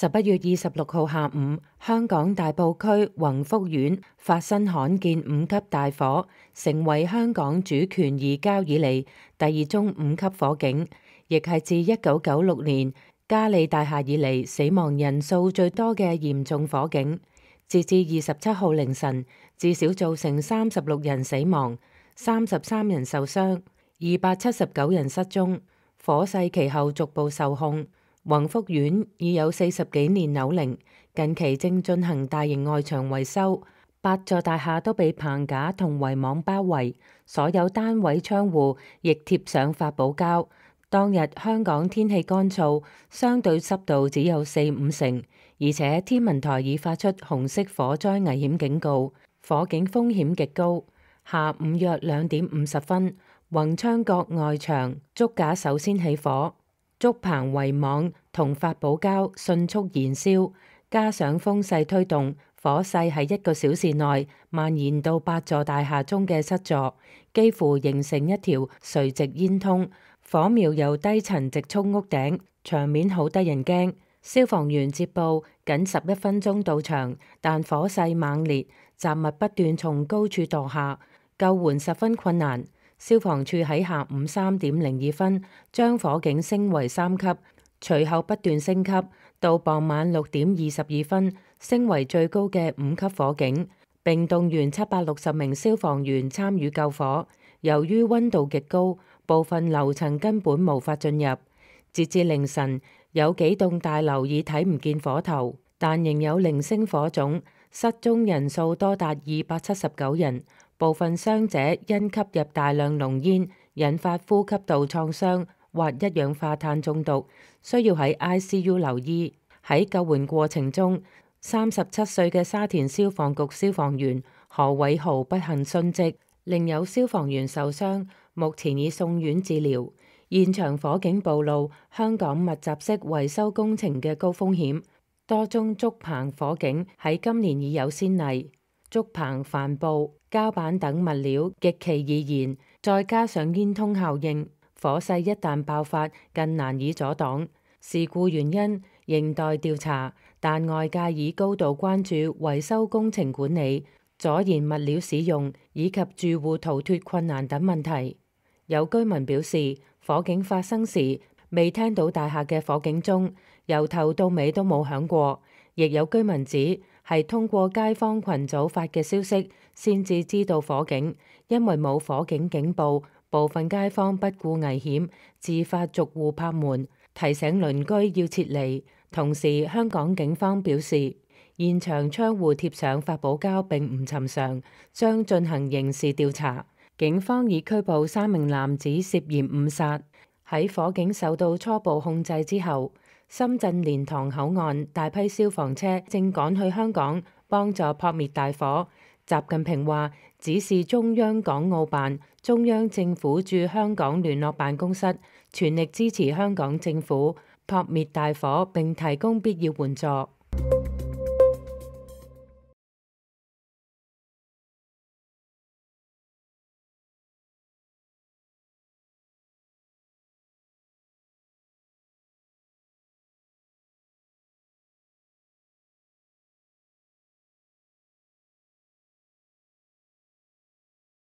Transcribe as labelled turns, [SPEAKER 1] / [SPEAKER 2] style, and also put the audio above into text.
[SPEAKER 1] 11月26號下午，香港大埔區宏福苑發生罕見5級大火，成為香港主權移交以嚟第2宗5級火警，亦係自1996年嘉利大廈以嚟死亡人數最多嘅嚴重火警。截至27號凌晨，至少造成36人死亡、33人受傷、279人失蹤。火勢其後逐步受控。宏福苑已有40幾年樓齡，近期正進行大型外牆維修，8座大廈都被棚架同圍網包圍，所有單位窗戶亦貼上發泡膠。當日香港天氣乾燥，相對濕度只有4-5成，而且天文台已發出紅色火災危險警告，火警風險極高。下午約2點50分，宏昌閣外牆竹架首先起火。竹棚圍網同發泡膠迅速燃燒，加上風勢推動，火勢喺1個小時內蔓延到8座大廈中嘅7座，幾乎形成一條垂直煙通。火苗由低層直衝屋頂，場面好得人驚。消防員接報僅11分鐘到場，但火勢猛烈，雜物不斷從高處墮下，救援十分困難。消防處喺下午3點02分將火警升為3級，隨後不斷升級，到傍晚6點22分升為最高嘅5級火警，並動員760名消防員參與救火。由於溫度極高，部分樓層根本無法進入。截至凌晨，有幾棟大樓已睇唔見火頭，但仍有零星火種，失蹤人數多達279人。部分傷者因吸入大量濃煙，引發呼吸道創傷或一氧化碳中毒，需要喺 ICU 留醫。喺救援過程中，37歲嘅沙田消防局消防員何偉豪不幸殉職，另有消防員受傷，目前已送院治療。現場火警暴露香港密集式維修工程嘅高風險，多宗竹棚火警喺今年已有先例。竹棚、帆布、膠板等物料極其易燃，再加上煙通效應，火勢一旦爆發更難以阻擋。事故原因仍待調查，但外界已高度關注維修工程管理、阻燃物料使用以及住戶逃脫困難等問題。有居民表示，火警發生時未聽到大廈嘅火警鐘，由頭到尾都冇響過。亦有居民指係通過街坊群組發嘅消息先至知道火警，因為冇火警警報，部分街坊不顧危險自發逐戶拍門，提醒鄰居要撤離。同時，香港警方表示，現場窗戶貼上發泡膠並唔尋常，將進行刑事調查。警方已拘捕3名男子涉嫌誤殺。喺火警受到初步控制之後，深圳蓮塘口岸大批消防車正趕去香港幫助撲滅大火。習近平話，指示中央港澳辦、中央政府駐香港聯絡辦公室全力支持香港政府撲滅大火並提供必要援助。